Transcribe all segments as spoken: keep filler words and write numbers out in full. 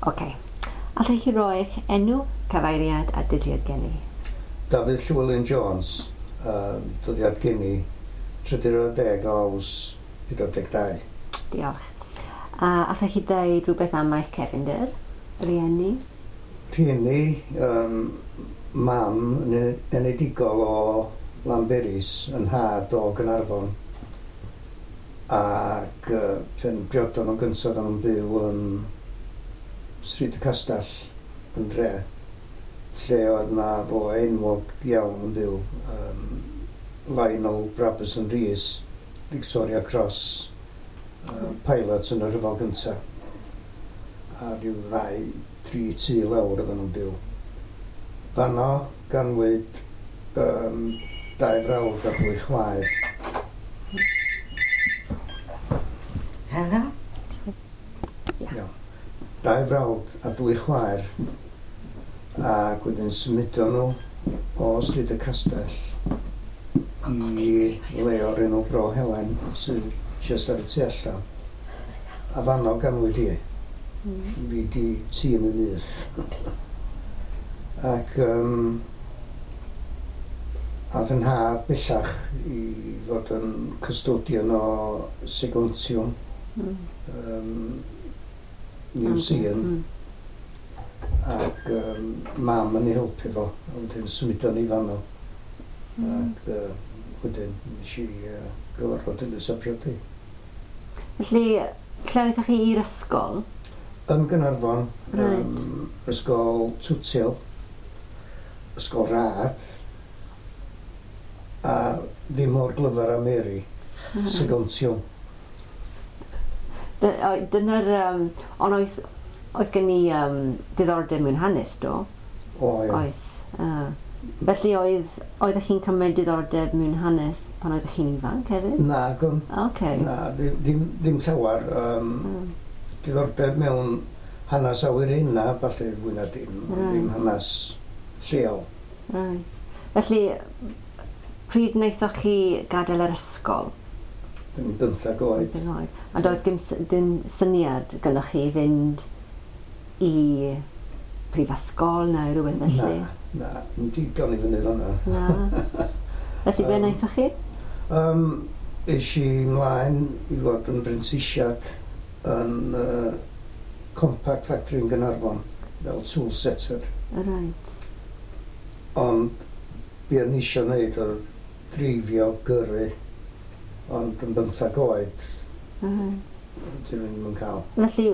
Oce. Allwch chi roi eich enw, cyfeiriad a dyddiad geni? Dafydd Llywelyn Jones, uh, dyddiad geni trydydd ar ddeg o Awst pedwar deg dau. Diolch. A allwch chi dweud rhywbeth am eich cefndir? Rieni? Rhieni, um, mam yn enedigol o Lanberis, yn nhad o Gaernarfon. Ac uh, pen briodon nhw'n gyntaf, o'n nhw'n byw yn Stryd y Castell yn dre, lle oedd na fo enwog iawn yn byw, um, Lionel Brabazon Rees, Victoria Cross, uh, pilot yn y rhyfel gyntaf. A rhyw ddau, tri tŷ lawr oedden nhw'n byw. Fanno ganwyd um, dau frawd a dwy chwaer. Helo? Iawn. Dau frawd a dwy chwaer. Ac wedyn symudon nhw o Stryd y Castell i le o'r enw Bro Helen sydd jyst ar y tu allan. A fanno ganwyd i. Fi di tîm y nyth. Ac um, a fy nhad bellach i fod yn custodian o Segontium, Mm. um, Museum, Mm. ac um, mam yn ei helpu fo, a wedyn symudon ni fanno. Mm. Ac uh, wedyn nes i uh, gyfarfod Dilys a priodi. Felly, lle oeddech chi i'r ysgol? Yn Gaernarfon, Reit. um, ysgol Twtil, ysgol rad, a ddim mor glyfar a Mary, Segontium. Dy- o- Dyna'r... Um, ond oes, oes gen i um, diddordeb mewn hanes, do? O, ia. Oes. Uh, felly oedd, oeddech chi'n cymryd diddordeb mewn hanes pan oeddech chi'n ifanc hefyd? Na, gwn. Oce. Na, ddim, ddim, ddim llawer. Um, Mm. Diddordeb mewn hanes awyrena, falle fwy na dim, ond Right. ddim hanes lleol. Right. Felly, pryd wnaethoch chi gadael yr ysgol? Yn bymthag oed. Beth oed? A doedd dim, s- dim syniad gynnwch chi fynd i prifysgol neu rhywbeth felly? Na, na, ddim digon i fyny fan'na. Na. Felly, be Yym, wnaethoch chi? Um, es i mlaen i fod yn brentisiad yn uh, Compact Factory yn Gaernarfon, fel tool setter. Right. Ond be o'n i eisiau wneud oedd dreifio, gyrru, ond yn bymthag oed, Uh, dyn nhw'n yn cael. Felly,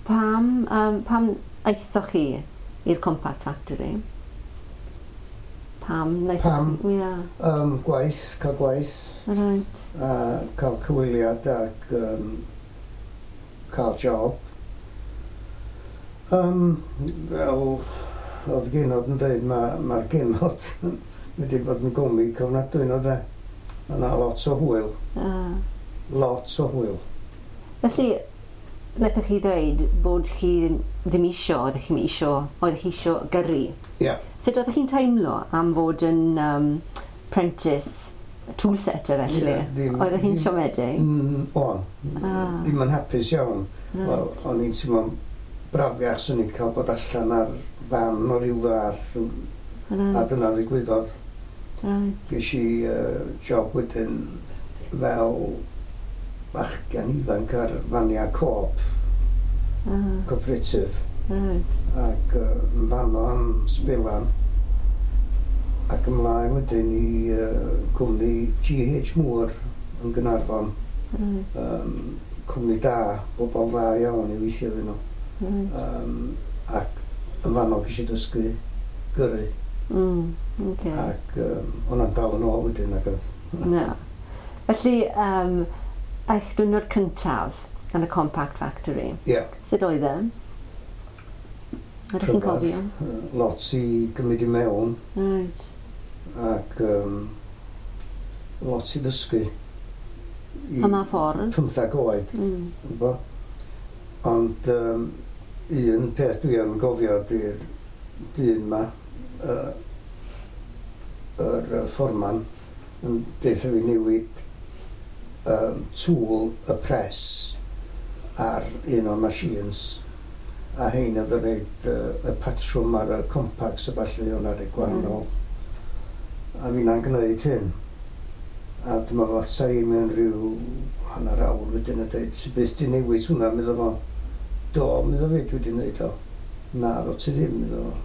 pam, um, pam aethoch chi i'r Compact Factory? Pam wnaethoch Pam? chi? Ia, Um, gwaith, cael gwaith, right. a cael cyfweliad ac um, cael job. Um, fel oedd genod yn dweud, mae'r ma genod wedi bod yn gomic ofnadwy no de. Mae yna lot o hwyl, Uh, lot o hwyl. Felly, wnaethoch chi ddweud bod chi ddim isio, oeddech chi'n isio, oeddech chi isio gyrru. Ie. Sut oeddech chi'n teimlo am fod yn um, apprentice tool setter felly? Ie, ddim- Oeddech chi'n ddim- siomedig? Mm, o'n, Ah. ddim yn hapus iawn. Right. Wel, o'n i'n teimlo'n brafiach swn i'n cael bod allan ar fan o ryw fath, a Right. dyna ddigwyddodd. Right. Ges i uh, job wedyn fel bachgen ifanc ar fania Co-op, Ah, cooperative, right. ac uh, yn fanno am sbelan. Ac ymlaen wedyn i uh, cwmni G H Moore yn Gaernarfon, Right. um, cwmni da, bobl dda iawn i weithio iddyn nhw. Right. Um, ac yn fanno ges i dysgu gyrru, Mm, okay. ac um, hwnna'n dal yn ôl wedyn ac oedd. Na. Felly, um, eich diwrnod cyntaf yn y Compact Factory, Ie. Yeah. sut oedd e? Ydych chi'n Rhyfedd. cofio? Lot i gymryd i mewn Right. ac um, lot i ddysgu. I Am a ffordd? pymthag oed, Mm. mm. Ond um, un peth dwi yn gofio ydy'r dyn ma, uh, yr uh, fforman, yn deutha fi newid um, tool y press ar un o'r machines. A hein oedd yn rhoid uh, y patrwm ar y compacts a ballu, o'na rei gwahanol. Mm. A finna'n gwneud hyn. A dyma fo ata i mewn rhyw hanner awr wedyn a dweud, ti byth di newid hwnna, medda fo. Do, medda fi, dwi wedi gwneud o. Na, ddo ti ddim, medda fo.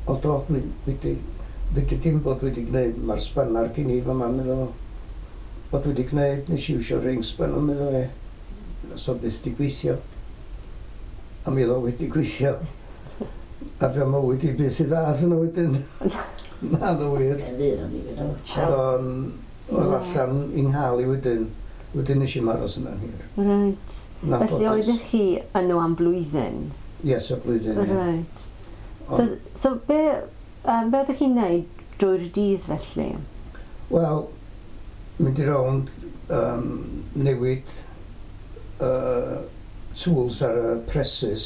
O do, dwi wedi, wedi dim bod wedi gwneud, mae'r spannar gen i fama, medda fo. O dwi wedi gwneud, nes i iwsio ring spanner, medda fe. So byth di gweithio. A mi oedd o wedi gweithio. A fe mywyd i byth i ddath yno wedyn. Na, ddo wir. Oedd o'n oedd allan i nghael i wedyn. Wedyn nes i'm aros yna'n hir. Right. Felly oeddech chi yno am flwyddyn? Yes, y blwyddyn, ie. Right. So, so be, um, be oeddech chi'n neud drwy'r dydd felly? Wel, mynd i rownd, um, newid uh, tools ar y presses,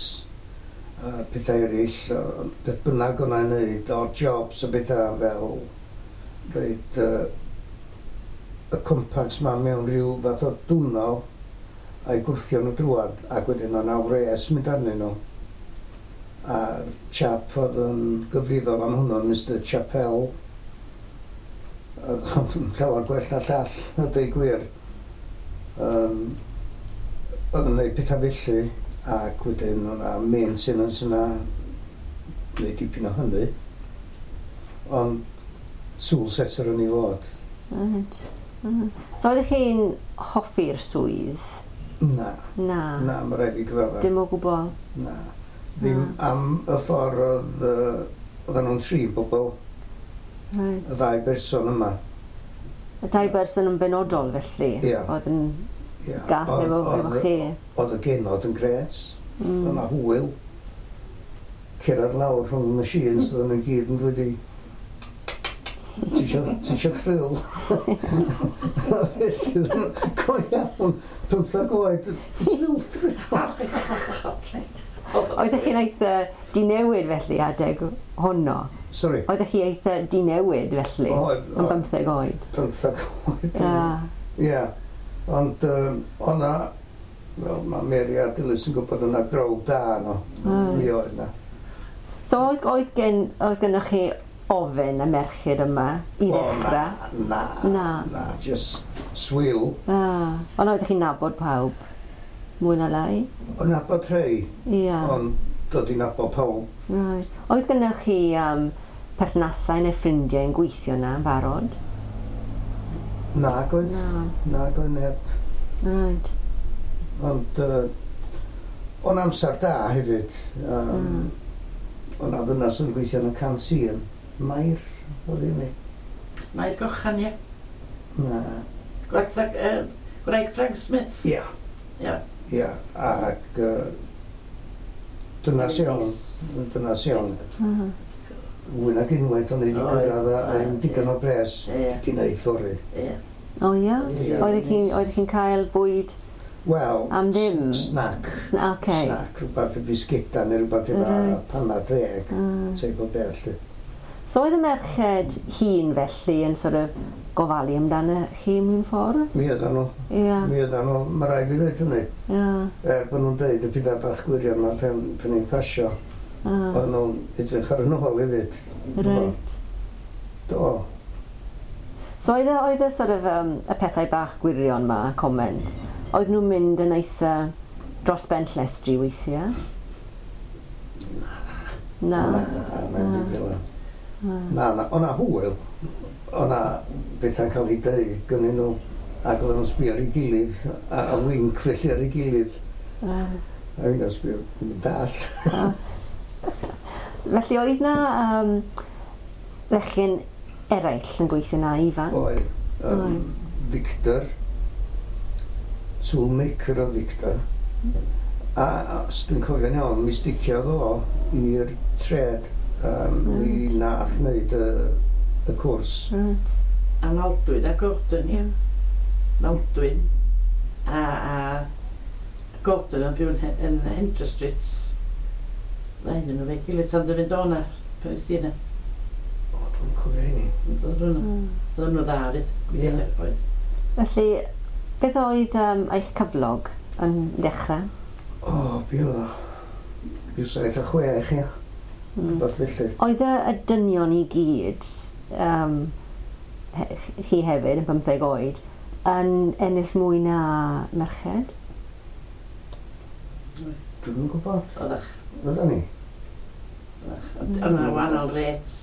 uh, pethau eraill, uh, beth bynnag o'n i'n neud, odd jobs a bethau fel rhoid uh, y compacts ma mewn rhyw fath o dwnnel a'i gwrthio nhw drwad, ac wedyn o'na wres mynd arnyn nhw. A'r chap oedd yn gyfrifol am hwnnw, Mister Chappell, oedd o'n llawer gwell na llall, a dweud gwir. Um, oedd yn gwneud pethau felly, ac wedyn o'na maintenance yna, gwneud dipyn o hynny. Ond tool setter o'n i fod. Right. Mm. So oeddech chi'n hoffi'r swydd? Na. Na. Na, mae rhaid i gyfadda. Dim o gwbl? Na. Ddim Na. am y ffordd oedd, uh, oedden nhw'n trin bobl, Right. y ddau berson yma. Y dau berson yn benodol felly? Ie. Oedd yn Ia. gas Oedd- efo, oedd- efo chi? Oedd y genod yn gret. Mm. Oedd 'na hwyl. Cerdded lawr rhwng y machines, oedden nhw'n gyd yn dweud i, ti isio, ti isio thrill? Felly, go iawn, pymthag oed, thrill, thrill. Oeddech chi'n eitha dinewid felly adeg honno? Sorry, Oeddech chi eitha dinewid felly? Oedd, Yn oedd. bymtheg oed? Pymthag oed. Ah, Ie, ond um, o'na, wel, mae Mary a Dilys yn gwybod o'na grow da no. Oedd. Mi oedd na. So oedd, oedd, gen, oedd gennych chi ofyn y merched yma i O, ddechrau? Na, Na. na, just swill. Ah, ond oeddech chi'n nabod pawb? Mwy na lai? O'n nabod rhei, Ia. ond dod i nabod pawb. Right. Oedd gennych chi um, perthnasau neu ffrindiau yn gweithio na yn barod? Nag oedd, Na. nag oedd neb. Right. Ond uh, o'n amser da hefyd. Um, Mm. O'n a ddynas yn gweithio yn y canteen. Mair, oedd hi ni? Mair Gochan, ie. Na. Gwertha, uh, gwraig Frank Smith. Ia. Ia. Ia, ac uh, dynas iawn, dynas iawn. Mm. Fwy nag unwaith o'n i wedi Oedd, cyrraedd a a oedd, digon o bres Ie. wedi wneud ffordd. Ie. O ia? Ie. Oeddech chi'n oeddech chi'n cael bwyd? Wel, Am ddim? s- Snack. Sna- Oce. Snack, rhywbeth y bisgeda neu rhywbeth efo Reit. panad deg, Mm. teip o beth. lly. So oedd y merched hŷn felly yn sort of gofalu amdano chi mewn ffordd? Mi oedden nhw, Ia. mi oedden nhw, mae rhaid fi ddweud hynny. Ia. Er bod nhw'n deud y pethau bach gwirion yma pen, pen i'n pasio, Ah, oedden nhw'n edrych ar yn ôl hefyd. Reit. Do. So oedd y, oedd y sort of um, y pethau bach gwirion ma, comments, oedd nhw'n mynd yn eitha dros ben llestri weithiau? Na. Na, na, na, na. Na, na, o'na hwyl. O'na bethau'n cael ei deud gynnyn nhw ac oedden nhw'n sbio ar ei gilydd a, a wink felly ar ei gilydd. Right. A fi'n sbio, yn dall. Felly oedd na um, fechgyn eraill yn gweithio na ifanc? Oedd um, Oedd. Victor, toolmaker o Victor. A, a os dwi'n cofio'n iawn, mi sticiodd o i'r trade. Um, Mi nath wneud y, y cwrs. Right. A Maldwyn a Gordon, ie. Maldwyn a, a Gordon yn byw yn, He- yn Hendra Street. Na un nhw fe gilydd tan dy fynd o'na, pan ys di yna. O, dwi'n cofio hynny. Oedden nhw Mm. oedden nhw dda fyd. Ie. Oedd. Felly, beth oedd um, eich cyflog yn ddechrau? O, be oedd o? Rhyw saith a chwech, ia. Mm. Rhywbeth felly. Oedd y, y dynion i gyd, um, he, chi hefyd yn bymtheg oed, yn ennill mwy na merched? Dwi'm yn gwybod. Oeddach. Oedden ni? Oeddach. Ond yna wahanol rates.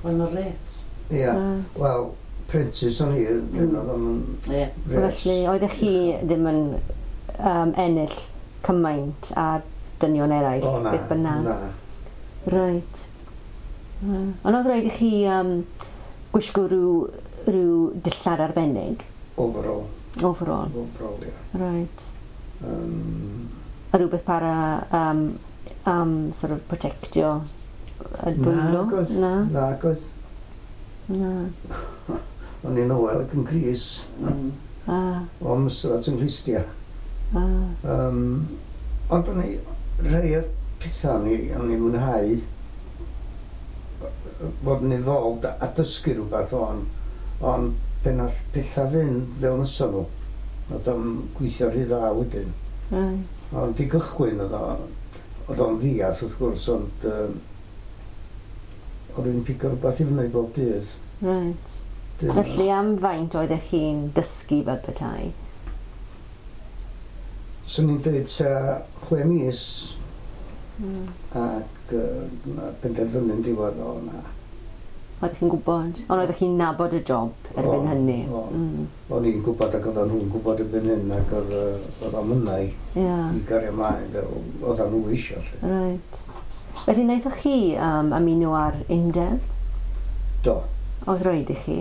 Wahanol rates. Ia. Mm. Wel, apprentice o'n i, dyn oedd o'n Ie. rates. Felly, oeddech chi ddim yn um, ennill cymaint a dynion eraill, O, na, beth bynnag? na. Reit. Mm. Ond oedd rhaid i chi um, gwisgo rhyw, rhyw dillad arbennig? Overall. Overall. Overall, ia. Right. Um, A rhywbeth para um, um, sort of protectio y dwylo? Nag oedd. Na. Nag oedd. Na. O'n i'n oer ac yn gris. Mm. Ah, O mysrat yng nghlustia. ah. Um, ond o'n i, rhai o'r pethau o'n i, o'n i'n mwynhau fod yn involved a, a dysgu rhywbeth o'n, ond pan nath pethau fynd fel nesa nhw, oedd o'n gweithio rhy dda wedyn. Right. Ond i gychwyn oedd o, oedd o'n ddiall wrth gwrs, ond um, o'n i'n pigo rhywbeth i fyny bob dydd. Right. Dydd. Felly am faint oeddech chi'n dysgu fel petai? Swn i'n dweud tua chwe mis Mm. ac uh, na penderfynu'n diwedd o na. Oeddech chi'n gwybod? Ond oeddech chi'n nabod y job erbyn O'n, hynny? o'n. Mm. O'n i'n gwybod ac oedden nhw'n gwybod erbyn hyn ac oedd yy, oedd o'n mynnau Ia. i gario ymlaen fel oedden nhw eisiau. Lly. Right. Felly wnaethoch chi um, ymuno ar undeb? Do. Oedd rhaid i chi?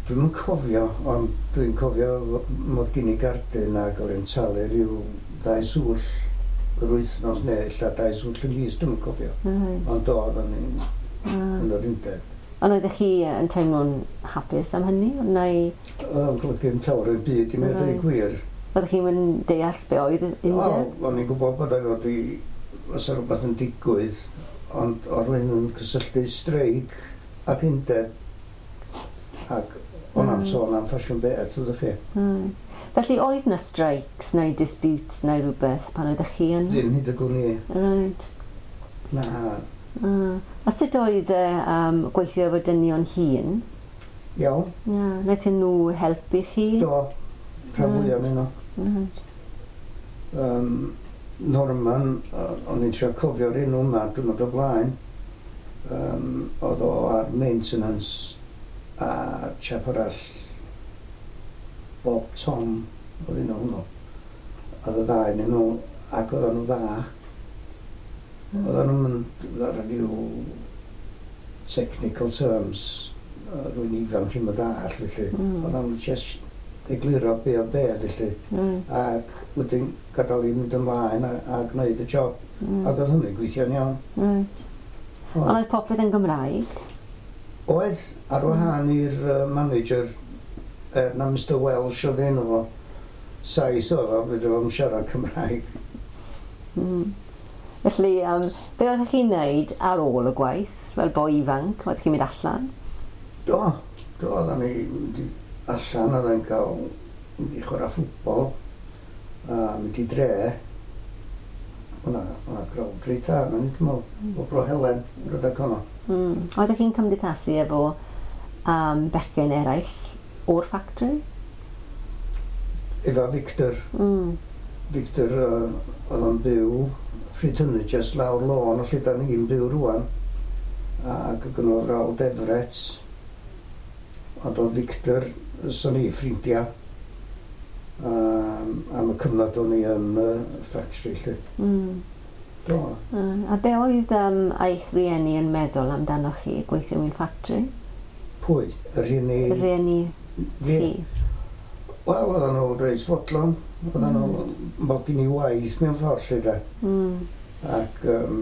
Dwi'm yn cofio, ond dwi'n cofio mod gen i gardyn ac oedd yn talu rhyw ddau swll yr wythnos neu ella dau swll y mis, dwi'm yn cofio. Right. Ond do, oedden ni'n Ah. yn yr undeb. Ond oeddech chi yn teimlo'n hapus am hynny? Neu Oedd o'n golygu yn llawer o'r byd i mi a dweud Right. gwir. oeddech chi'n mynd deall be oedd undeb? Wel, o'n i'n gwybod bod o fod i, os oedd rhywbeth yn digwydd, ond oedd rhywun yn cysylltu streic ac undeb, ac o'n am Mm. sôn am ffasiwn beth, ydych chi. Right. Felly oedd na strikes neu disputes neu rhywbeth pan oeddech chi yn? Ddim hyd y gwn i. Right. Na, Ah. A sut oedd e um, gweithio efo dynion hŷn? iawn, Ia, wnaethon nhw helpu chi? do, rhan fwyaf Right. ohonyn nhw. Right. Um, Norman, yy, o'n i'n trio cofio'r enw yma, diwrnod o blaen, um, oedd o ar maintenance a chap arall, Bob Tom, oedd un o hwnnw. Oedd y ddau yn nhw, ac oedden nhw dda. Oedden nhw'n mynd ar ryw technical terms, yy, rwy'n ifanc i'm yn ddall, felly. Mm. Oedden nhw'n just egluro be o be, felly. Right. Ac wedyn gadael i mynd ymlaen a, a gwneud y job. Mm. Ac oedd hynny'n gweithio'n iawn. Right. Oedd. Ond oedd popeth yn Gymraeg? Oedd, ar wahân i'r uh, manager, er na Mister Welsh oedd enw fo, Sais oedd o, fedra fo'm siarad Cymraeg. Mm. Felly, um, be oeddech chi'n neud ar ôl y gwaith, fel boi ifanc? Oeddech chi'n mynd allan? Do, do, oedden ni mynd i allan, oedden ni'n cael mynd i chwarae ffwbol, a mynd i dre. O'na, o'na crowd reit dda, o'n i'n meddwl, o Bro Helen, yn rhedeg honno. Mm. Oeddech chi'n cymdeithasu efo um, bechgyn eraill o'r factory? Efo Victor, Mm. Victor uh, oedd o'n byw pryd hynny jyst lawr lôn o lle da ni'n byw rwan ac oedd gynno fo frawd Everett ond oedd Victor so ni ffrindiau um, am y cyfnod o'n i yn uh, factory lle. Mm. Do. Uh, a be oedd um, eich rieni yn meddwl amdanoch chi gweithio mewn factory? Pwy? Y rhieni Y rieni fi? chi? Wel, oedden nhw reit fodlon. Oedden nhw mod gen i waith mewn ffordd lle da. Mm. Ac um,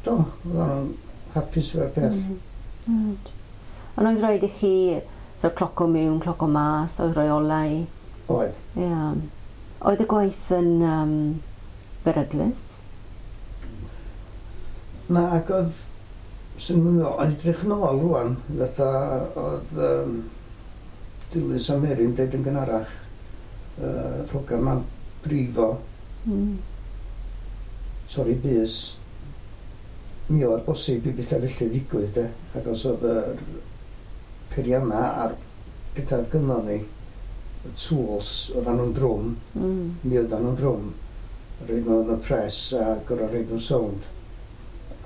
do, oedden nhw'n hapus efo'r peth. Mm. Right. Ond oedd rhaid i chi so, cloco mewn, cloco mas, oedd rheolau? Oedd. Ie. Yeah. Oedd y gwaith yn um, beryglus? Na, ac oedd, sy'n mynd, o'n edrych yn ôl rwan, fatha oedd um, Dilys a Mary'n deud yn gynharach, uh, rhoga ma'n brifo, Mm. torri bys. Mi oedd bosib i bethau felly ddigwydd, de. Ac os oedd yr peirianna a'r pethau gynnon ni, y tools, oedden nhw'n drwm, Mm. mi oedden nhw'n drwm. Rhoid nhw yn y press a gorau rhoid nhw'n sownd.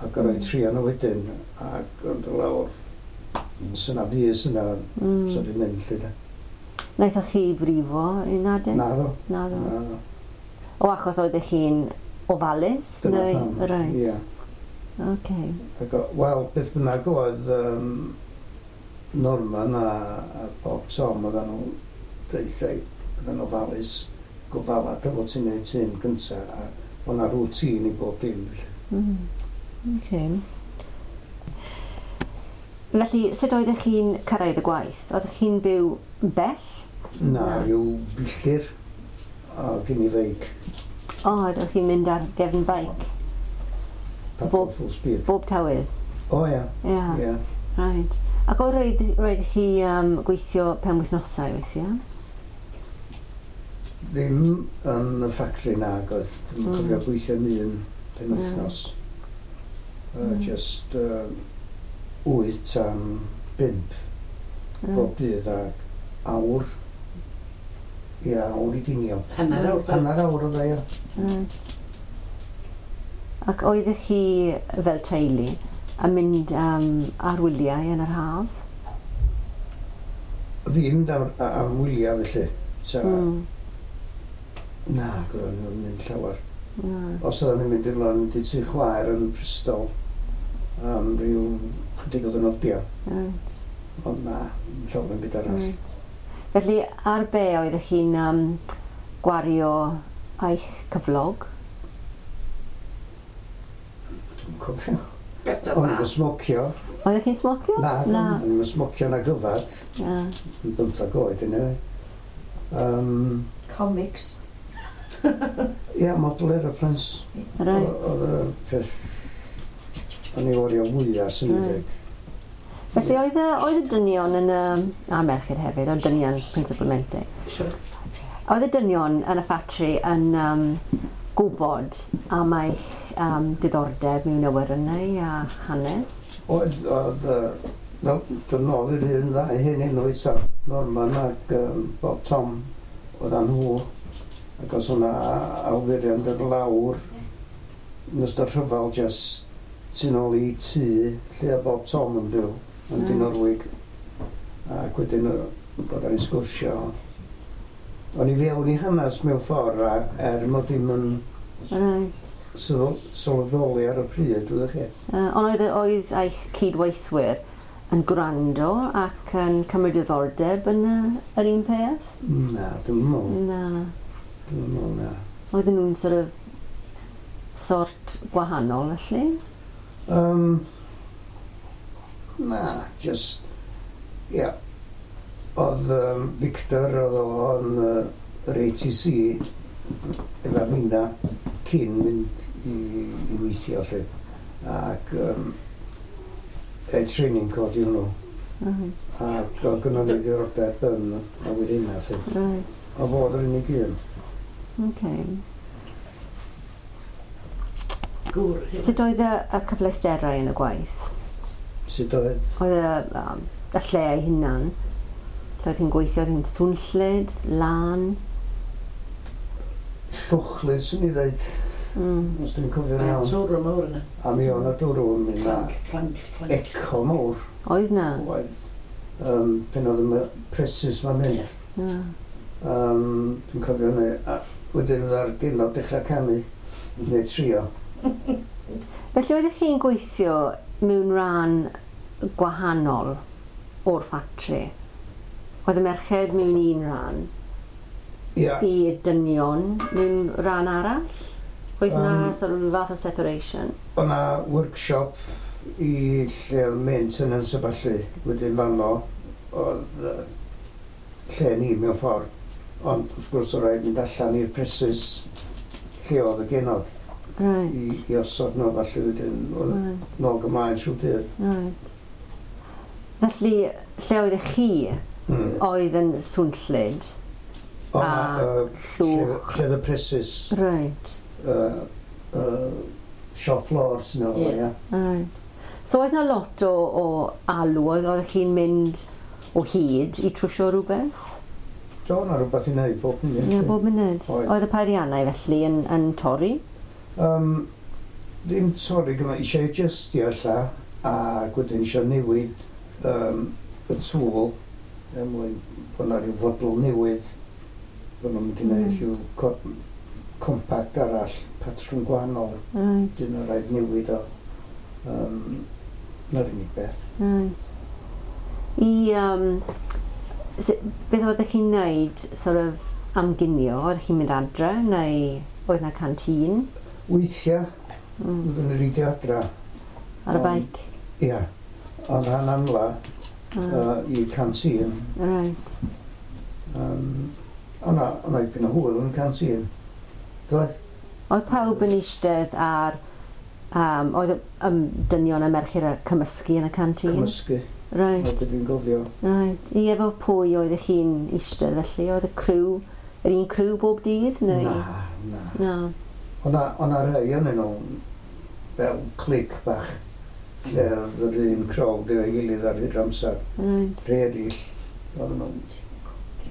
A gorau Mm. trio nhw wedyn a gorau lawr. Syna fus yna, Mm. so di mynd lle de. Naethoch chi frifo un adeg? Na ddo. Na ddo. Na ddo. O achos oeddech chi'n ofalus? Dyna neu? pam. Reit. Ie. Okay. Ac, o- wel, beth bynnag oedd um, Norman a, a Bob Tom, oedden nhw deithau, oedden nhw ofalus, gofala dy fod ti'n neud hyn gynta, a o'na na routine i bob dim. Felly. Mm. Okay. Felly, sut oeddech chi'n cyrraedd y gwaith? Oeddech chi'n byw bell? Na, Na. rhyw filltir o gen i feic, O, oeddech chi'n mynd ar gefn beic? paddle Bob- full speed. Bob tywydd? O ia, Ia, yeah. ia. Right. Ac o roedd, roedd chi um, gweithio penwythnosau weithiau? Ddim yn y ffactri nag oedd, dwi'n Mm. cofio gweithio yn un penwythnos. Uh, Mm. Just uh, wyth tan bump bob dydd ac awr, ia, awr i ginio. Hanner awr. Hanner awr oedd e, ia. Right. Ac oeddech chi fel teulu yn mynd um, ar wyliau yn yr haf? Fi'n mynd am, am wyliau felly. Ta, Mm. Na, oedden nhw'n mynd llawer. Na. Os oedden ni'n mynd i'r lan, mynd i tŷ chwaer yn Bristol am ryw chydig o ddwrnodiau. Right. Ond na, llawer yn byd arall. Right. Felly, ar be oeddech chi'n um, gwario eich cyflog? Dwi'n cofio. Beth O'n i'n smocio. Oeddech chi'n smocio? Na, Na. o'n i'n smocio na gyfad. Na. Yn bymthag oed, anyway. Um, Comics. Ia, model aeroplanes. Right. Oedd y peth o'n i wario fwyaf, sy'n i Reit. ddweud. Felly oedd y, oedd y dynion yn y... A merched hefyd, ond dynion principalmente. Sure. Oedd y dynion yn y ffatri yn um, gwybod am eich um, diddordeb mewn awyrennau a hanes? Oedd, oedd, yy, wel, dyn nôl i'r un ddau hyn enw eto, Norman ac um, Bob Tom, oedd nhw. Ac os o'na awyrennau'n dod lawr, yn ystod rhyfel, just tu nôl i tŷ lle oedd Bob Tom yn byw, yn Mm. Dinorwig. Ac wedyn yy, bod ar ei sgwrsio. O'n i fewn i hanes mewn ffordd, a er mod i'm yn Right. sylw- sylweddoli ar y pryd, wyddoch chi. Uh, ond oedd, oedd eich cydweithwyr yn gwrando ac yn cymryd diddordeb yn y, yr un peth? Na, dwi'n meddwl. Na. Dwi'n meddwl na. Oedden nhw'n sort of sort gwahanol felly? Um, na, just, ia. Yeah. Oedd um, Victor, oedd o yn uh, yr A T C efo'r minna cyn mynd i, i weithio lle. Ac um, e training cod i hwnnw. Right. Ac oedd gynnon ni ddiddordeb yn awyrennau lle. Right. O fod yr unig un. Okay. Gŵr. hyn. Sut oedd y, y cyfleusterau yn y gwaith? Sut oedd? Oedd y, um, y lle ei hunan? Lle oedd hi'n gweithio, oedd hi'n swnllyd, lan? Llwchlyd, swn i ddeud, Mm. os dwi'n cofio'n A iawn. twrw mawr yna. A mi o'n y dwrw yn mynd na Clanc, clanc, clanc. eco mawr. Oedd na? Oedd. Um, pen oedd y presses ma'n mynd. Ie. Na. Um, dwi'n cofio hynny. A wedyn oedd ar genod dechrau canu. Neu trio. Felly oeddech chi'n gweithio mewn rhan gwahanol o'r ffatri? Oedd y merched mewn un rhan, Ia. i dynion mewn rhan arall? Oedd na Yym. sort of fath o separation? O'na workshop i lle oedd maintenance a ballu. Wedyn fanno oedd yy, lle ni mewn ffordd. Ond wrth gwrs oedd rhaid mynd allan i'r presses lle oedd y genod Right. i, i osod nhw falle wedyn oedd Right. nôl ymlaen trwy dydd. Right. Felly, lle oeddech chi Mm. oedd yn swnllyd? O'na A yy, lle llwch. lle oedd y presses Right. uh, uh, Shop floor sy'n o'n Ie. ia. Right. So oedd 'na lot o, o alw, oedd oeddech chi'n mynd o hyd i trwsio rhywbeth? Do, na rhywbeth i wneud bob munud. Ie, lly. bob munud. Oedd. Oedd y peiriannau felly yn, yn torri? Um, ddim torri gyma, eisiau adjustio ella, ac wedyn eisiau newid um, y tool, er mwyn bod 'na rhyw fodel newydd, bod nhw'n mynd i wneud Mm. rhyw co compact arall, patrwm gwahanol, Right, dyn nhw'n rhaid newid o. Um, na'r unig beth. right. I, um, s- beth oeddech chi'n neud sort of am ginio? Oeddech chi'n mynd adre neu oedd 'na canteen? Weithiau, Mm. oeddwn i'n reidio adra, Ar y Ond- beic? ia, ond rhan amla Ah, uh, i canteen. Right. Um, o'na, o'na dipyn o hwyl yn y canteen. Doedd? Oedd pawb yn eistedd ar... Um, oedd y um, dynion a merched a cymysgu yn y canteen? Cymysgu, Right, oedd dwi'n gofio. right. I efo pwy oeddech chi'n eistedd felly? Oedd y criw, yr un criw bob dydd? Neu? Na, na. Na. O'na, o'na rhai yn nhw fel clic bach, lle oedd yr un crowd efo'i gilydd ar hyd amser. Right. Rhai eraill, oedden nhw'n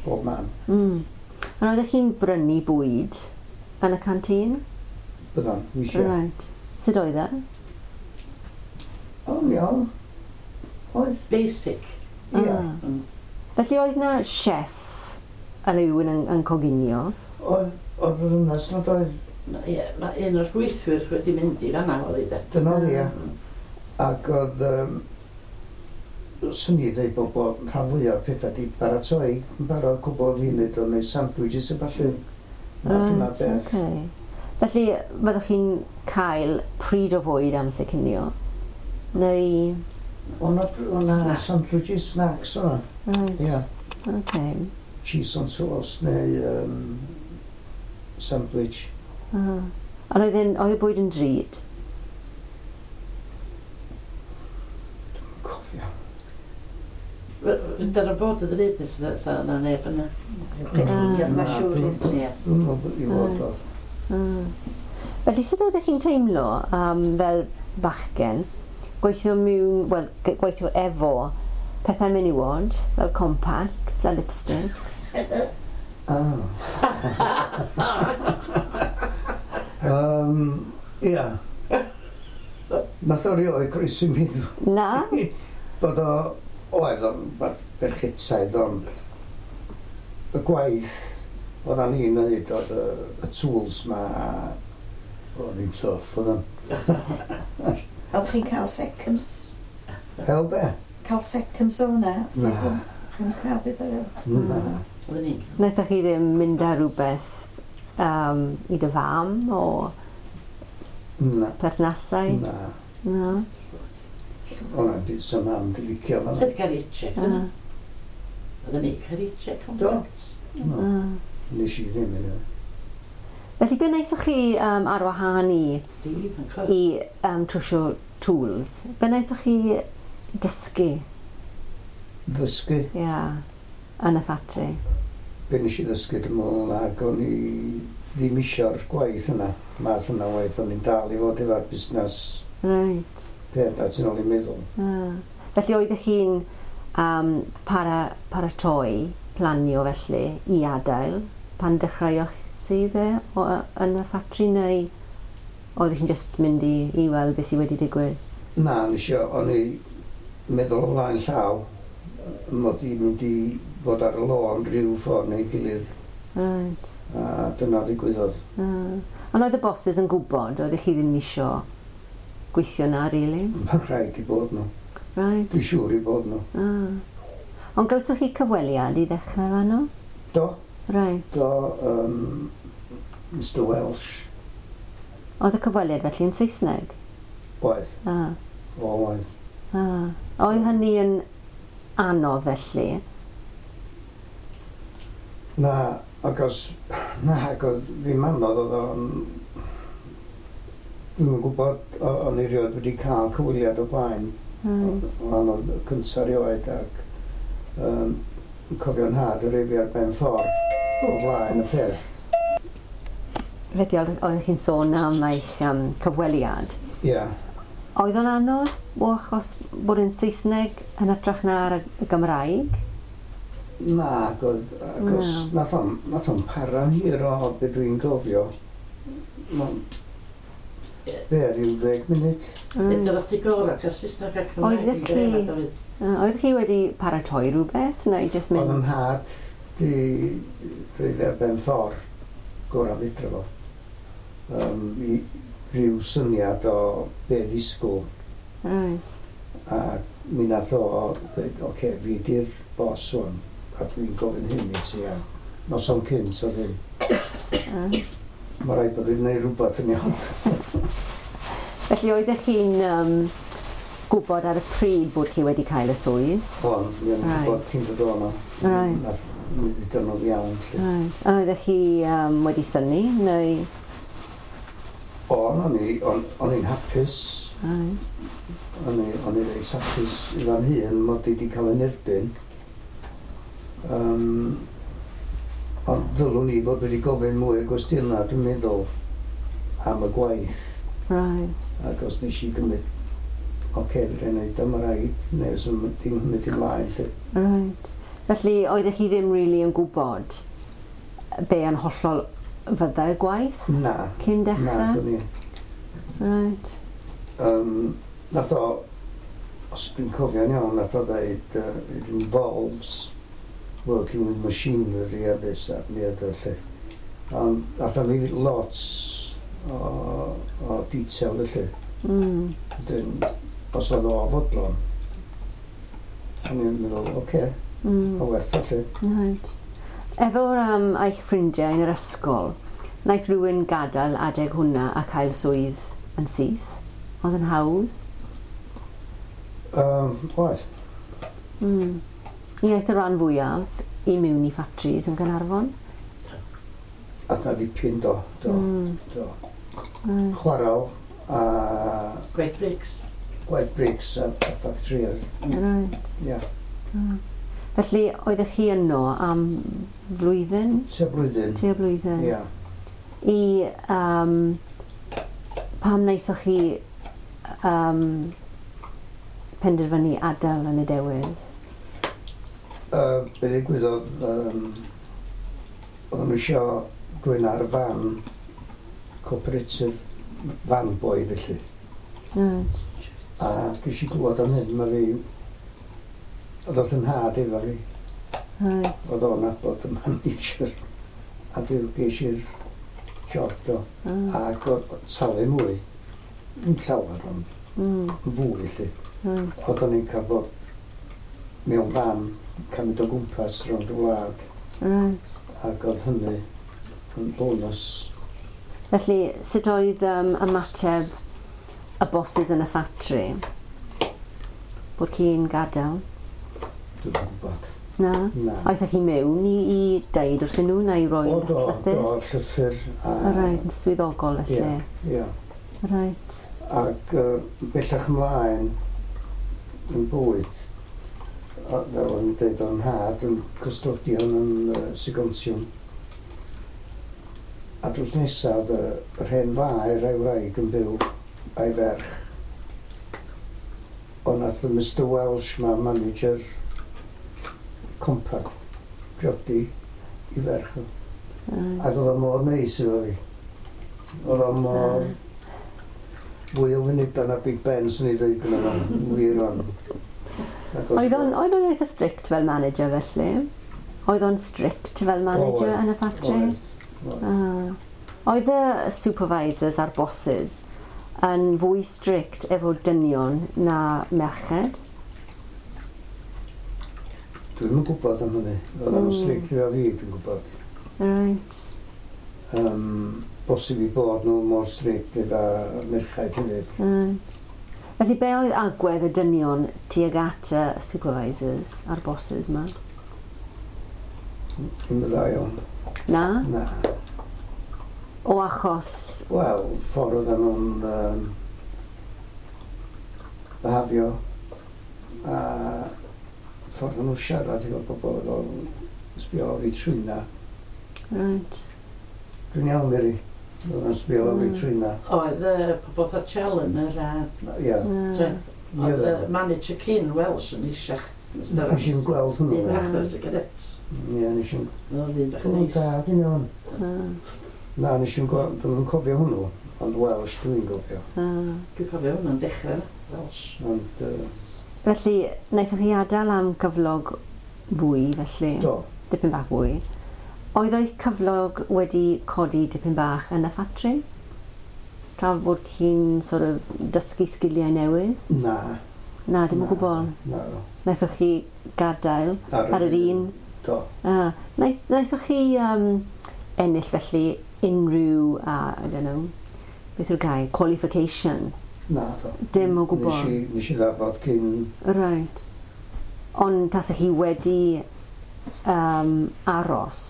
bob man. Mm. Ond oeddech chi'n brynu bwyd yn y canteen? Byddan, weithiau. Right. Sut oedd e? O'n iawn. Oedd. Basic. Ia. Ah. Mm. Felly oedd na chef yn rhywun yn, yn coginio? Oedd, oedd y ddynas nad oedd, Ma- Ie, mae un o'r gweithwyr wedi mynd i fanna oedd i de. dyna oedd ia. Ac oedd, um, swn i ddeud bod, bod rhan fwyaf o'r pethau di baratoi yn barod cwbl o funud o'n neud sandwiches a ballu. Math yma Right, beth. okay. Felly, fyddwch chi'n cael pryd o fwyd amser cinio? Neu... O'na, o'na Snack. sandwiches, snacks o'na. Right. Ia. Okay. Cheese on toast neu um, sandwich. Ah. Ond oedd, e'n- oedd y bwyd yn drud? Cofio. Dyna bod y ddrud nes sa na neb yna. Ie, Na, mae'n siŵr. dwi'n- Ie. Dwi'n meddwl i fod Reit. oedd. Ah. Felly, sut oeddech chi'n teimlo um, fel bachgen, gweithio mewn, wel, ge- gweithio efo pethau menywod, fel compacts a lipsticks? Ah. um, ia. Nath o rioed croesi mi Na? bod o, oedd o'n beth ferchetaidd, ond y gwaith oeddan ni'n neud oedd y, y tools ma, oedd hi'n tough, oedd o'n. Oeddech chi'n cael seconds? Hel be? Cael seconds o hwnna? Na. Chi'n cael beth o'r Na. Oedden ni'n Wnaethoch chi ddim mynd â rhywbeth um, i dy fam o Na. perthnasau? Na. Na. O'na byd sy'n mam di licio fan. Sut cael ei check Ah. yna? Oedden ni'n cael ei check contracts. No. Ah. Nes i ddim yna. Felly, be wnaethoch chi um, ar wahân i, Rili ifanc oedd. i um, trwsio tools? Be wnaethoch chi dysgu Ddysgu. yeah, yn y ffatri? Be nes i ddysgu dwi'n meddwl ac o'n i ddim isio'r gwaith yna. Math yna waith, o'n i'n dal i fod efo'r busnes Right. peth a ti'n ôl i meddwl. Ah. Felly oeddech chi'n um, para, paratoi, planio felly, i adael pan dechreuoch sydd e o, yn y ffatri neu oeddech chi'n just mynd i, i weld beth sydd wedi digwydd? Na, nes i, o'n i meddwl o flaen llaw mod i'n mynd i fod ar y lôn rhyw ffordd neu gilydd Right. a dyna ddigwyddodd. Ah. Ond oedd y bosses yn gwybod, oeddech chi ddim isio gweithio na, really? Mae'n rhaid i bod nhw. Right. Dwi'n siŵr i bod nhw. Ah. Ond gawsoch chi cyfweliad i ddechrau fanno? Do, Right. do, um, Mr Welsh Oedd y cyfweliad felly yn Saesneg? oedd, Ah. o oedd. Ah. Oedd hynny yn anodd felly? Na, ac os, na, ac oedd ddim anodd, oedd o'n... Dwi'm yn gwybod, o- o'n i rioed wedi cael cyfweliad o blaen. Right. O'n o'n cyntaf rioed ac um, cofio'n nhad yn rhoi fi ar ben ffordd o flaen y peth. Felly oeddech chi'n sôn am eich um, cyfweliad. Ie. Yeah. Oedd o'n anodd o achos bod yn Saesneg yn hytrach na'r y Gymraeg? Na, ac oedd, achos nath o'n, nath o'n para'n hir o be dwi'n gofio. Ma'n be, ryw ddeg munud. Mm. Edrych chdi gorau cael Saesneg a Cymraeg. Oeddech chi- Uh, Oeddech chi wedi paratoi rhywbeth neu jyst Oedd mynd? yn nhad di rhoi fe ar ben ffordd gorau fedra fo. Um, i ryw syniad o be ddisgwyl. Right. A mi nath o dweud, oce, okay, fi di'r boss wan, a dwi'n gofyn hyn i ti, a noson cynt oedd hyn. Right. Mae rhaid bod i'n gwneud rhywbeth yn iawn. Felly oeddech chi'n um, gwybod ar y pryd bod chi wedi cael y swydd? O'n, mi o'n i'n Right. gwybod cyn dod o'na. Right. Nath, mi ddudon nhw'n iawn. Lly. Right. A oeddech chi um, wedi synnu neu? O'n, o'n i, o'n, o'n i'n hapus. Right. O'n i, o'n i reit hapus i fan hun mod i wedi cael yn erbyn. Um, ond ddylwn i fod wedi gofyn mwy o gwestiynau, dwi'n meddwl, am y gwaith. Right. Ac os nes i gymryd, oce, okay, fedra i wneud o, mae rhaid, neu os dim symud ymlaen, lle. Right. Felly oeddech chi ddim really yn gwybod be yn hollol fyddai'r gwaith Na, cyn na, dechrau? dwi'n i. Right. Um, nath o, os dwi'n cofio'n iawn, nath o dweud, uh, it involves working with machinery a this, that and the other, lle. Ond nath o fi lot o, o detail, felly. Mm. Wedyn, os oedd o fodlon, o'n i'n meddwl, oce, okay, Mm. o werth o, lle. Right. Efo'r um, eich ffrindiau yn yr ysgol, wnaeth rhywun gadael adeg hwnna a cael swydd yn syth? Oedd yn hawdd? Um, oedd. Mm. Mi aeth y rhan fwyaf i mewn i ffatris yn Gaernarfon? A na ddipyn do, do, Mm. do. Right. Chwaral a Gwaith brics. gwaith brics a, a ffactrïoedd. Right. Ia, Right. Felly, oeddech chi yno am flwyddyn? tua blwyddyn. Tua blwyddyn? Ia. I, um, pam wnaethoch chi um, penderfynu adael yn y dewydd? Uh, be ddigwyddodd, um, oedden nhw eisiau rhywun ar y fan, cooperative van boy felly. Right. A ges i glwad am hyn, mae fi, oedd oedd yn nhad efo fi, Right. oedd o'n nabod y manager. A dwi ges i'r job do. Ah. Ac oedd talu mwy, yn llawer ond Mm. fwy lle. Right. Oedden ni'n cael bod mewn fan, cael mynd o gwmpas rownd y wlad, Right. ac oedd hynny yn bonus. Felly, sut oedd um, ymateb y bosses yn y ffatri? Bod chi'n gadael? Dwi'n gwybod. Na? Na. Aethoch chi mewn i, i deud wrthyn nhw neu i roi O, do, llythyr? do, llythyr. A, O, Right, yn swyddogol felly. Ie, ie. Right. Ac uh, bellach ymlaen yn bywyd, a fel o'n i'n dweud, o'n nhad yn custodian yn uh, Segontium. A drws nesaf, y, yr hen faer a'i wraig yn byw a'i ferch. Ond nath y Mr Welsh ma, manager Compaq, priodi i ferch o. Right. Ac oedd o mor neis efo fi. Oedd o mor... Fwy o wynebau na Big Ben, swn i ddweud gyda fo. Wir o'n. Ac Oedd o'n oedd o'n eitha strict fel manager felly? Oedd o'n strict fel manager Oedd, yn y ffatri? Oedd, oedd. Ah. Oedd y supervisors a'r bosses yn fwy strict efo dynion na merched? Dwi'm yn gwybod am hynny. Oedd o'n Mm. strict efo fi, dwi'n gwybod. Right. Um, bosib i bod nhw mor strict efo merchaid hefyd. Right. Felly be oedd agwedd y dynion tuag at y supervisors a'r bosses ma? Ddim yn dda iawn. Na? Na. O achos... Wel, ffordd oedden nhw'n um, behafio a ffordd oedden nhw'n siarad efo bobl efo sbio lawr i trwyna. Right. Dwi'n iawn, Mary. Oedd yn sbio lawr i Mm. trwyna. Oedd y pobl fatha Challenger a... Ie. Oedd Ie. y manager cyn Welsh yn eisiach. Nes i'm gweld hwnnw. Dyn bach fel sigaret. Ie, nes i'm... Oedd ddyn bach O, neis. da, dyn iawn. Ah, Na, nes i'm gweld, dwi'm yn cofio hwnnw, ond Welsh dwi'n gofio. ah. Dwi'n cofio hwnna'n dechrau, Welsh. Ond, uh, Felly, wnaethoch chi adael am gyflog fwy, felly? do, Dipyn bach fwy. Oedd eich cyflog wedi codi dipyn bach yn y ffatri? Tra bod chi'n sort of dysgu sgiliau newydd? na. Na, dim o na, gwbl. Na, do. Wnaethoch chi gadael ar yr un? Do. Ah, wnaeth, wnaethoch chi um, ennill felly unrhyw, uh, I don't know, beth yw'r gair, qualification? Na, do. Dim o gwbl. Nes i, nes i ddafod cyn... Right. Ond tasech chi wedi um, aros?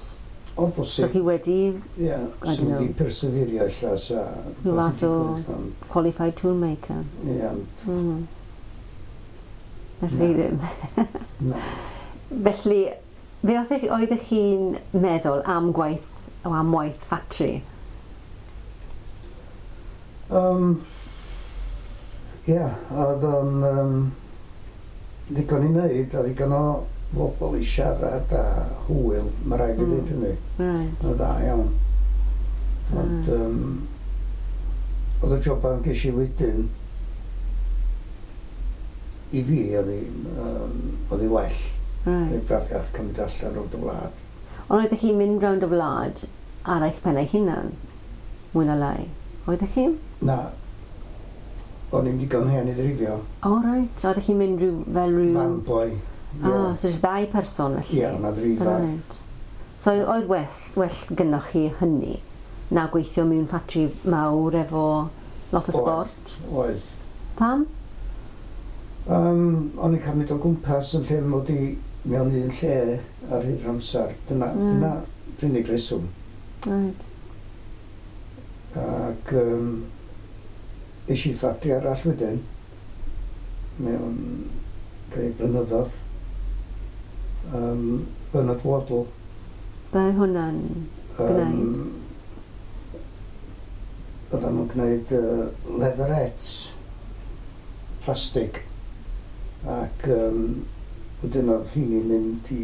O, So bosib. chi wedi Ie, I sy'n don't know. wedi perseverio ella sa... Rhyw fath o- digwydd, Ond, qualified toolmaker? ie, ond, Mm. Felly Na. ddim. na. Felly, fe oeddech oeddech chi'n meddwl am gwaith, o am waith ffatri? Um, Ie, oedd o'n um, ddigon i wneud, a ddigon o bobl i siarad a hwyl, mae rhaid fi Mm. ddeud hynny. Right. Oedd dda iawn. Ond um, oedd y joban ges i wedyn i fi oedd hi, um, oedd hi well. Oedd Right. hi'n brafiach cymryd allan rownd y wlad. Ond oeddech chi'n mynd rownd y wlad ar eich pen eich hunan? Mwy na lai. Oeddech chi? Na, o'n i'n digon hen i ddrifio. O, reit. Oeddech chi'n mynd rhyw, fel rhyw... Van boy. Ie, Ah, so jyst ddau person felly? Ie, na ddrifar. Right. So oedd, oedd well, well gynnoch chi hynny na gweithio mewn ffatri mawr efo lot o Oedd. sbort? Oedd. Pam? Um, o'n i'n cael mynd o gwmpas yn lle mod i mewn un lle ar hyd yr amser. Dyna, Mm. dyna unig reswm. Right. Ac um, es i ffatri arall wedyn mewn rhai blynyddoedd. Um, Bernard Waddle. Be hwnna'n... Um, Oedden nhw'n gwneud uh, leatherettes plastig ac um, wedyn oedd hynny'n mynd i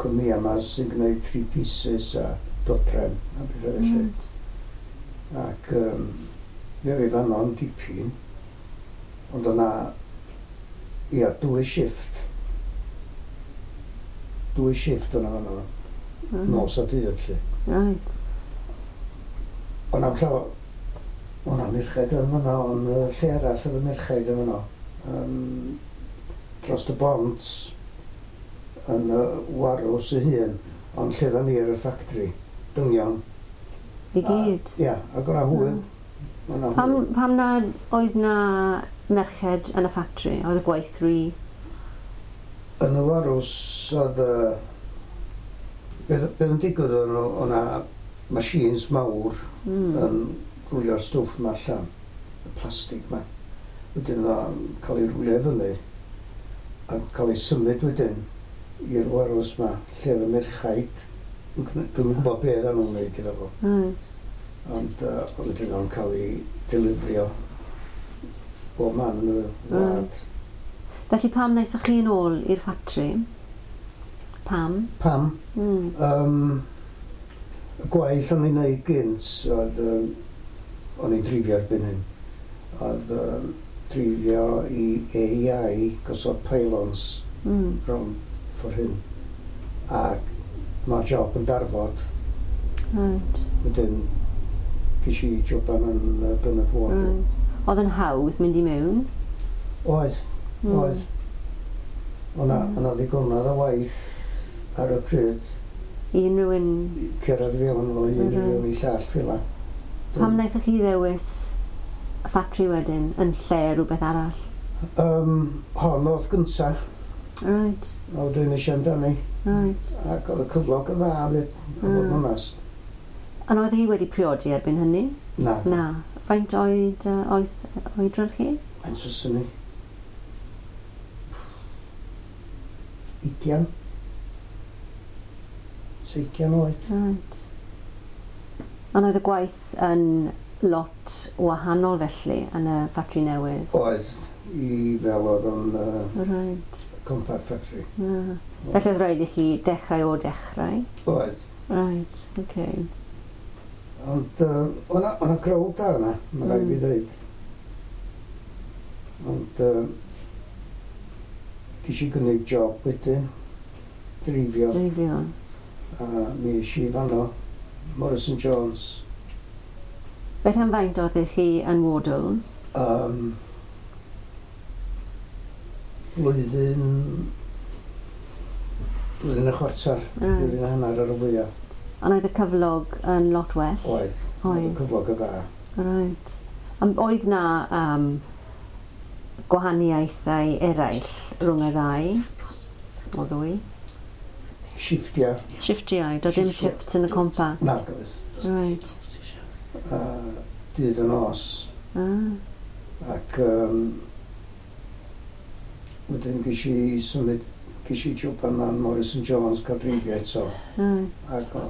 cwmnïau yma sy'n gwneud three pieces a dodrefn a bethau felly. Mm. Ac um, fe fi fanno'n dipyn, ond o'na, ia, dwy shift. Dwy shift o'na fanno, Mm. nos a dydd felly. Right. Ond am llaw, o'na merched yn fanno, ond yy, lle arall oedd y merched yn fanno. Um, dros y bont yn y warws ei hun, ond lle dda ni ar y ffactri, dynion. I gyd. Ia, ac o'na hwyl. O'na Pam, hwyl. pam na oedd na merched yn y ffatri? Oedd y gwaith rhy... Yn y warws oedd y... Beth beth yn digwydd oedd nhw, o'na machines mawr Mm. yn rwlio'r stwff yma allan, y plastig yma. Wedyn oedd o'n cael ei rwlio i fyny a cael ei symud wedyn i'r warws yma, lle oedd y merchaid, yn gne- dwi'm yn gwybod be oedden nhw'n wneud iddo fo, Right. ond uh, wedyn o'n cael ei delifrio bob man yn y wlad. Felly pam wnaethoch chi yn ôl i'r ffatri? Pam? Pam? Mm. Um, y gwaith o'n i'n neud gynt oedd, um, o'n i'n drifio erbyn hyn, oedd um, drifio i A I gosod pylons Mm. rownd ffordd hyn. Ac mae'r job yn darfod, Right. wedyn ges i joban yn uh, Bernard Wardle. Right. Oedd yn hawdd mynd i mewn? Oedd, Mm. oedd. O'na, Mm. o'na ddigonedd o waith ar y pryd, I unrhyw un... cyrraedd fewn o un i Mhm. fewn i llall fel 'na. Pam wnaethoch chi ddewis y ffatri wedyn yn lle rhywbeth arall? Um, hon oedd gynta, Right, a wedyn nes i amdani, right. ac oedd y cyflog yn dda fyd, a fod yn Mm. onest. Ond oedd hi wedi priodi erbyn hynny? Na, Na. Faint oed, uh, oedd oedran chi? faint fyswn i? Ugian? Seigian oed. Right. Ond oedd y gwaith yn lot wahanol felly yn y ffatri newydd? Oedd, i fel oedd o'n uh, Right. Compaq Factory. Yeah. Felly oedd rhaid i chi dechrau o dechrau? Oedd. Right, okay. Ond uh, o'na, o'na crowd da yna, mae rhaid fi Mm. ddeud. Ond uh, ges i gynnig job wedyn, dreifio, Dreifio. a mi es i fanno, Morrison Jones. Beth am faint oeddech chi yn Wardles? Um, blwyddyn, blwyddyn a chwarter, Right. blwyddyn a hanner ar y fwyaf. Ond oedd y cyflog yn lot well? Oedd, oedd y Oedd. cyflog y dda. Right. Ond oedd na um, gwahaniaethau eraill rhwng y ddau? O ddwy? Shifftiau, Shifftiau, doedd ddim Shifftiau. shifts yn y Compaq. nag oedd. Right. Uh, dydd y nos. Ah, Ac um, wedyn ges i symud, ges i job yma yn Morrison Jones cael dreifio eto. right. Ac o-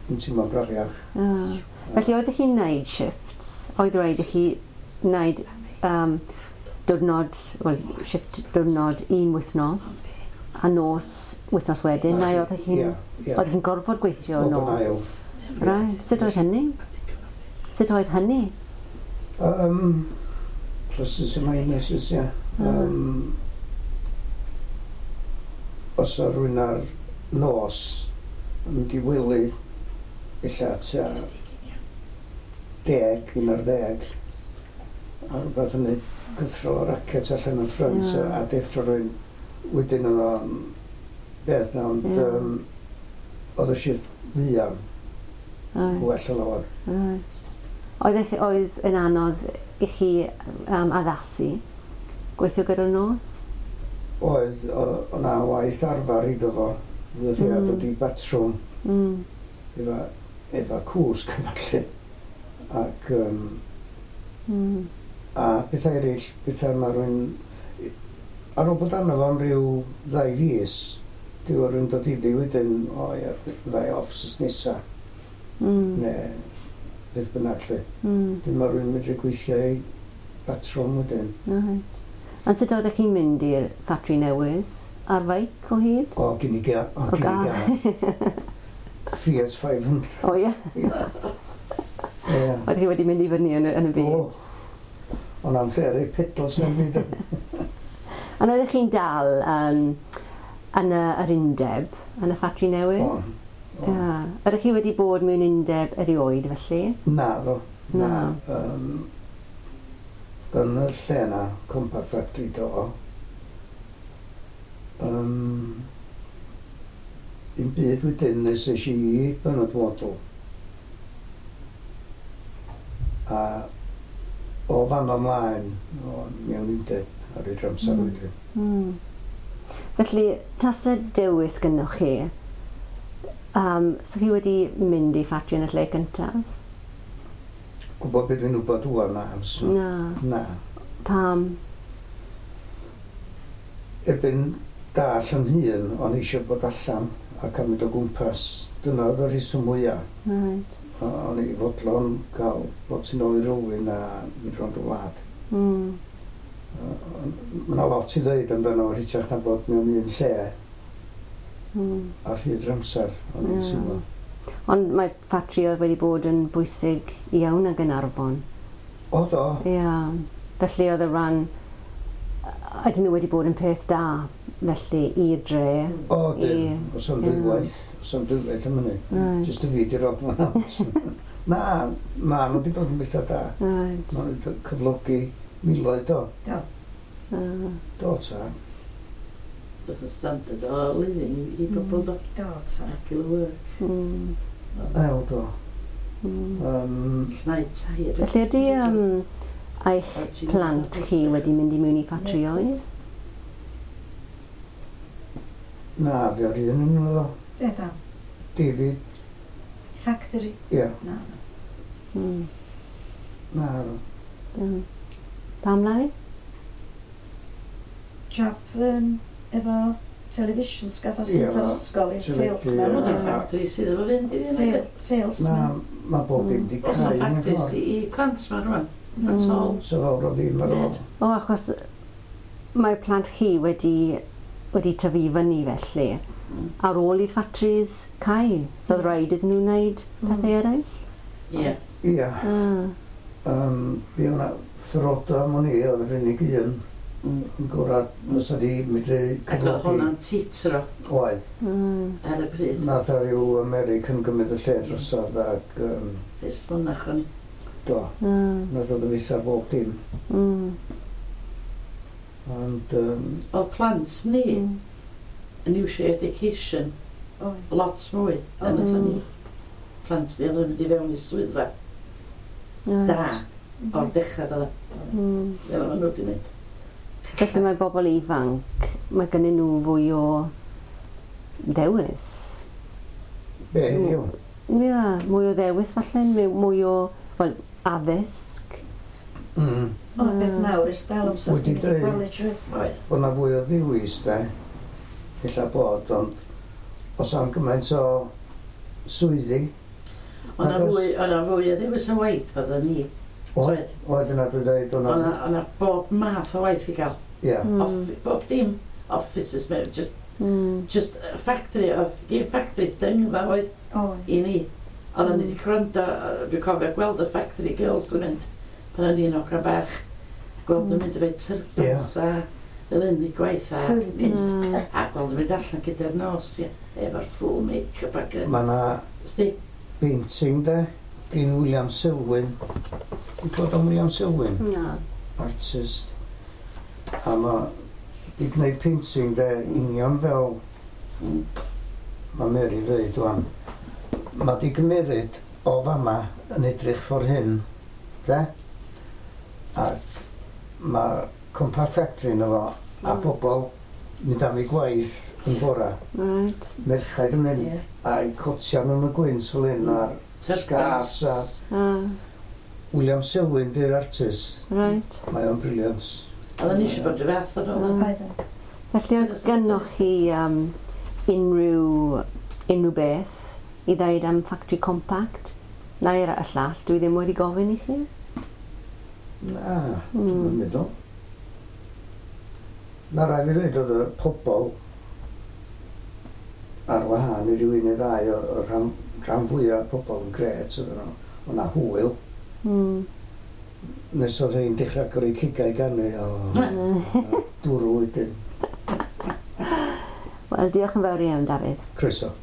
yn teimlo brafiach. Ah. Felly oeddech chi'n neud shifts? Oedd rhaid i chi wneud um, diwrnod, wel, shift diwrnod un wythnos a nos wythnos wedyn, neu oeddech chi'n Ie, ie. oeddech chi'n gorfod gweithio Oedd yn nos? ail. Right. Sut oedd hynny? Sut oedd hynny? Um, pluses and minuses, ie. Um, os o rhywun ar nos yn mynd i wely ella tua deg, un ar ddeg, a rhywbeth yn neud cythrol o racket allan y ffrynt Ie. a deffro rhywun wedyn oedd o'n beth na, ond Ie. um, oedd y shift fuan Right. well o lawer. Right. Oedd, oedd yn anodd i chi um, addasu gweithio gyda'r nos? Oedd, o- o'na waith arfer iddo fo. Fydd chi a Mm. dod i batrwm Mm. efo, efo cwsg a falle. Ac, um, Mm. a pethau eraill, pethau mae rhywun... Ar ôl bod arno fo am ryw ddau fis, dyw rhywun dod iddi wedyn, o ie, ddau off sus nesa, Mm. neu beth bynnag lle. Mm. Dyn mae rhywun medru gweithio i batrwm wedyn. Right. Ond sut oeddech chi'n mynd i'r ffatri newydd? Ar feic o hyd? O, gyn i ga, o, O, gyn i ga. Fiat five hundred. O ie, Ie. oeddech chi wedi mynd i fyny yn y, yn y byd. O, ond am lle ar ei pedals yn byd. Ond oeddech chi'n dal um, yn y, yr undeb, yn y ffatri newydd? O, o. Ie. Ydych chi wedi bod mewn undeb erioed felly? Na, ddo. Na. Na. Um, yn y lle na, Compaq Factory do. Um, dim byd wedyn nes es i i Bernard Wardle. A o fan ymlaen, o, mewn undeb ar yr amser Mm. wedyn. Mm. Felly, tasa dewis gynnwch chi, um, so chi wedi mynd i ffatri yn y lle gyntaf? Gwybod beth dwi'n wybod ŵan na, fyswn. Na. Na. Pam? Erbyn dall yn hun, o'n eisiau bod allan ac am mynd o gwmpas. Dyna oedd y rheswm mwyaf. Right. O'n i fodlon cael bod tu nôl i'r olwyn a mynd rownd y wlad. Mm. Mae yna lot i ddweud amdano fo hytrach na bod mewn un lle Mm. ar hyd yr amser, o'n i'n Ie. teimlo. Ond mae ffatri oedd wedi bod yn bwysig iawn ag yn Arfon. O do, Ie. Yeah. Felly oedd y rhan... Ydyn nhw wedi bod yn peth da, felly, i'r dre. O dyn, Ie. os am Ie. dwywaith, os am dwywaith am hynny. Right. Jyst y fi di'r odd one out. Na, ma nhw wedi bod yn bethau da. Right. Ma nhw wedi cyflogi miloedd do. Do. Uh, Do, ta. Bydd y standard o living i bobl do. Do, ta. Regular work. mm, Ew, do. mm. Um, Llnau tai. a Felly ydy um, eich plant chi wedi mynd i mewn i ffatrioedd? Na, fe o'r un yn nhw ddo. Be da? David, Factory? ie, Na. Mm. na, do. Mm. Pam lai? Job um, efo Televisions gath o sydd o'r ysgol i'r salesman. Mae o'n factory sydd efo fynd i ddim. Salesman. Mae bob dim di cau. Oes o'n factories i plant ma rwan. At all. So fawr o ddim ar ôl. O, achos mae'r plant chi wedi, wedi tyfu fyny felly. Mm. Ar ôl i'r factories cau. So oedd rhaid iddyn nhw wneud pethau eraill? Ie. Ie. Um, fi o'na Ferodo am o'n i, oedd yr unig un yn gorau fysa ni medru cyflogi. Ac oedd hwnna'n titro. Oedd. Mm. Ar y pryd. Nath ar ryw American gymryd y lle drosodd ac... Um, Dys mynach o'n i. Do. Mm. Nath oedd y fytha bob dim. Mm. Ond... Um, oedd plant ni mm. yn iwsio education oh. lot mwy na mm. nath ni. Plant ni oedd yn mynd i fewn i swyddfa. Right. Da. O'r dechrau doedd. Mm. Fel maen nhw wedi wneud. Felly mae bobl ifanc, mae gennyn nhw fwy o ddewis. Be heddiw? Ie, mwy o ddewis falle, mwy o, wel, addysg. Mm. O, beth mawr ers talwm so wedi dweud bod na fwy o ddewis, de, ella bod, ond os am gymaint o swyddi. O na fwy, o na fwy o ddewis o waith fydda ni. Oedd, oedd yna dwi'n dweud. O'na o bob math o waith i gael. Ie. Yeah. Mm. Off, bob dim offices, just, mm. just factory, oedd un factory dyngfa oedd oh. i ni. Oedden ni wedi gwrando, dwi'n cofio gweld y factory girls yn mynd pan o'n i'n hogan bach. Gweld nhw'n mynd efo'u turbans yeah. a fel un i gwaith a, mm. a gweld nhw'n mynd allan gyda'r nos, ie, efo'r full make-up ac... Mae 'na painting de, gyn William Selwyn. Dwi'n clywed am William Selwyn? Na. Artist. A ma di gwneud painting de union fel mae Mary dweud wan. Mae di gymeryd o fama yn edrych ffordd hyn, de? Ac mae Compaq Factory yno fo, a mm. bobl mynd am ei gwaith yn bora. Right. Merchaid yn mynd yeah. a'i cotia nhw'n y gwynt fel hyn a'r scarves a... Ah. William Selwyn di'r artist. Right. Mae o'n brilliant. Oedden ni eisiau bod rhyw fath o'n ôl. Felly oes gynnoch chi um, unrhyw, unrhyw beth i ddeud am Factory Compact? Neu'r y llall, dwi ddim wedi gofyn i chi? Na, mm. dwi'n meddwl. Na rai fi ddweud oedd y pobl ar wahân i rywun neu ddau o'r rhan, rhan fwyaf pobl yn gret oedden nhw. Oedd 'na hwyl. Mm. Nes oedd hi'n dechrau gyrru cigau ganu o dwrw wedyn. Wel, diolch yn fawr iawn, Dafydd. Croeso.